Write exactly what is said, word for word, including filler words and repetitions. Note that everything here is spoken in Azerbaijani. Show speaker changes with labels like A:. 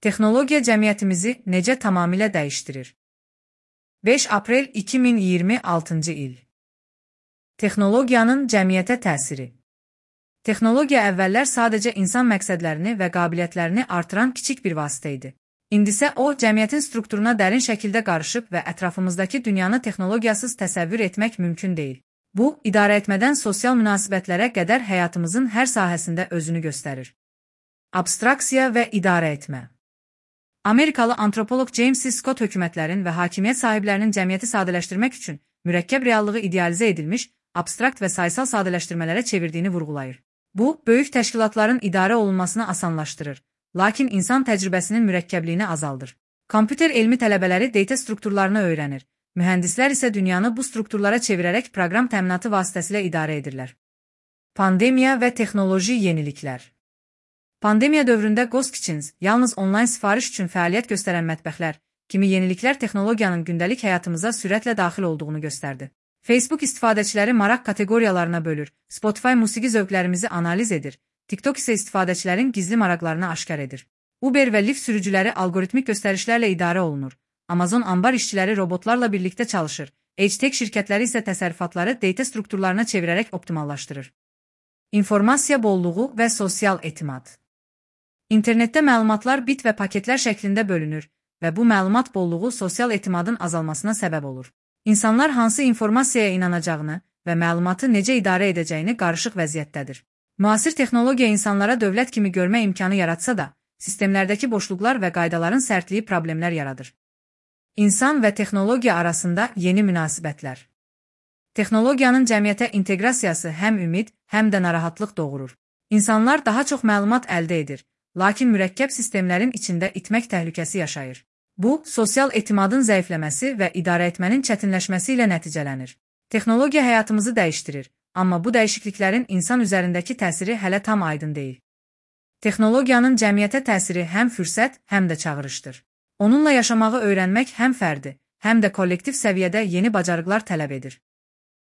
A: Texnologiya cəmiyyətimizi necə tamamilə dəyişdirir? beş aprel iki min iyirmi altıncı il. Texnologiyanın cəmiyyətə təsiri. Texnologiya əvvəllər sadəcə insan məqsədlərini və qabiliyyətlərini artıran kiçik bir vasitə idi. İndi isə o, cəmiyyətin strukturuna dərin şəkildə qarışıb və ətrafımızdakı dünyanı texnologiyasız təsəvvür etmək mümkün deyil. Bu, idarəetmədən sosial münasibətlərə qədər həyatımızın hər sahəsində özünü göstərir. Abstraksiya və idarəetmə. Amerikalı antropoloq James C. Scott hökumətlərin və hakimiyyət sahiblərinin cəmiyyəti sadələşdirmək üçün mürəkkəb reallığı idealizə edilmiş, abstrakt və sayısal sadələşdirmələrə çevirdiyini vurğulayır. Bu, böyük təşkilatların idarə olunmasını asanlaşdırır, lakin insan təcrübəsinin mürəkkəbliyini azaldır. Kompüter elmi tələbələri data strukturlarını öyrənir, mühəndislər isə dünyanı bu strukturlara çevirərək proqram təminatı vasitəsilə idarə edirlər. Pandemiya və texnoloji yeniliklər. Pandemiya dövründə Ghost Kitchens, yalnız onlayn sifariş üçün fəaliyyət göstərən mətbəxlər kimi yeniliklər texnologiyanın gündəlik həyatımıza sürətlə daxil olduğunu göstərdi. Facebook istifadəçiləri maraq kateqoriyalarına bölür, Spotify musiqi zövqlərimizi analiz edir, TikTok isə istifadəçilərin gizli maraqlarını aşkar edir. Uber və Lyft sürücüləri algoritmik göstərişlərlə idarə olunur, Amazon ambar işçiləri robotlarla birlikdə çalışır, H-Tech şirkətləri isə təsərrüfatları data strukturlarına çevirərək optimallaşdırır. İnformasiya bolluğu və sosial etimad. İnternetdə məlumatlar bit və paketlər şəklində bölünür və bu məlumat bolluğu sosial etimadın azalmasına səbəb olur. İnsanlar hansı informasiyaya inanacağını və məlumatı necə idarə edəcəyini qarışıq vəziyyətdədir. Müasir texnologiya insanlara dövlət kimi görmə imkanı yaratsa da, sistemlərdəki boşluqlar və qaydaların sərtliyi problemlər yaradır. İnsan və texnologiya arasında yeni münasibətlər. Texnologiyanın cəmiyyətə inteqrasiyası həm ümid, həm də narahatlıq doğurur. İnsanlar daha çox məlumat əldə edir, lakin mürəkkəb sistemlərin içində itmək təhlükəsi yaşayır. Bu, sosial etimadın zəifləməsi və idarəetmənin çətinləşməsi ilə nəticələnir. Texnologiya həyatımızı dəyişdirir, amma bu dəyişikliklərin insan üzərindəki təsiri hələ tam aydın deyil. Texnologiyanın cəmiyyətə təsiri həm fürsət, həm də çağırışdır. Onunla yaşamağı öyrənmək həm fərdi, həm də kollektiv səviyyədə yeni bacarıqlar tələb edir.